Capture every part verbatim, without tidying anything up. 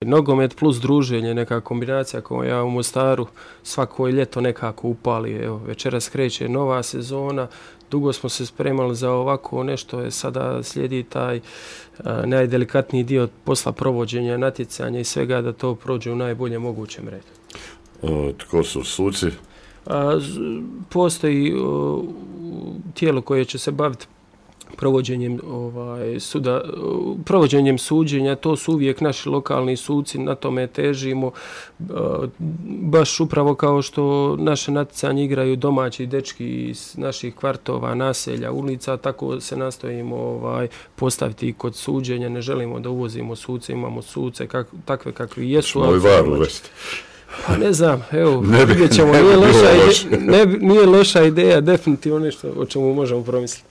Nogomet plus druženje, neka kombinacija koja u Mostaru svako ljeto nekako upali. Evo, večeras kreće nova sezona, dugo smo se spremali za ovako nešto, je sada slijedi taj a, najdelikatniji dio posla provođenja, natjecanja i svega da to prođe u najboljem mogućem redu. O, tko su suci? A, postoji o, tijelo koje će se baviti provođenjem ovaj suda provođenjem suđenja, to su uvijek naši lokalni suci, na tome težimo, baš upravo kao što naše natjecanje igraju domaći dečki iz naših kvartova, naselja, ulica, tako se nastojimo ovaj postaviti i kod suđenja. Ne želimo da uvozimo suce, imamo suce kak, takve kakvi jesu. Moj var uvesti. Pa ne znam, evo, ne bi, vidjet ćemo, ne nije, bi loša loš. ide, ne, nije loša ideja, definitivno nešto o čemu možemo promisliti.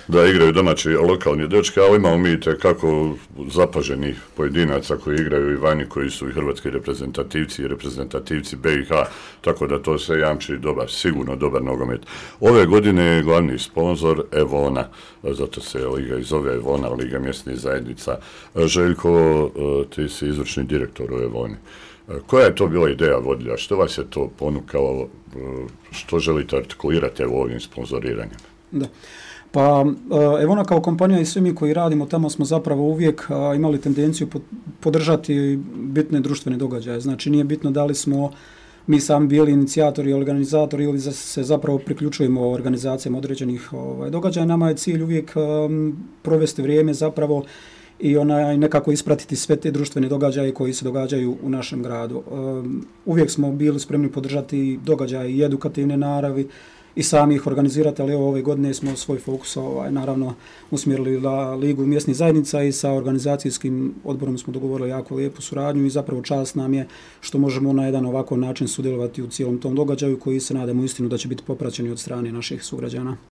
Da igraju domaći lokalni dečki, ali imamo mi kako zapaženih pojedinaca koji igraju i vani, koji su i hrvatski reprezentativci i reprezentativci B i H, tako da to sve jamči dobar, sigurno dobar nogomet. Ove godine je glavni sponzor Evona, zato se liga i zove Evona, Liga mjesnih zajednica. Željko, ti si izvršni direktor u Evoni. Koja je to bila ideja vodilja? Što vas je to ponukalo? Što želite artikulirati evo ovim sponzoriranjem? Da. Pa Evona kao kompanija i svi mi koji radimo tamo smo zapravo uvijek imali tendenciju podržati bitne društvene događaje. Znači nije bitno da li smo mi sami bili inicijatori i organizatori ili se zapravo priključujemo organizacijama određenih ovaj, događaja. Nama je cilj uvijek um, provesti vrijeme zapravo i onaj nekako ispratiti sve te društvene događaje koji se događaju u našem gradu. Um, uvijek smo bili spremni podržati događaje i edukativne naravi i sami ih organizirati, ali ove godine smo svoj fokus ovaj, naravno usmjerili na Ligu mjesnih zajednica i sa organizacijskim odborom smo dogovorili jako lijepu suradnju i zapravo čast nam je što možemo na jedan ovako način sudjelovati u cijelom tom događaju koji se nadamo istinu da će biti popraćeni od strane naših sugrađana.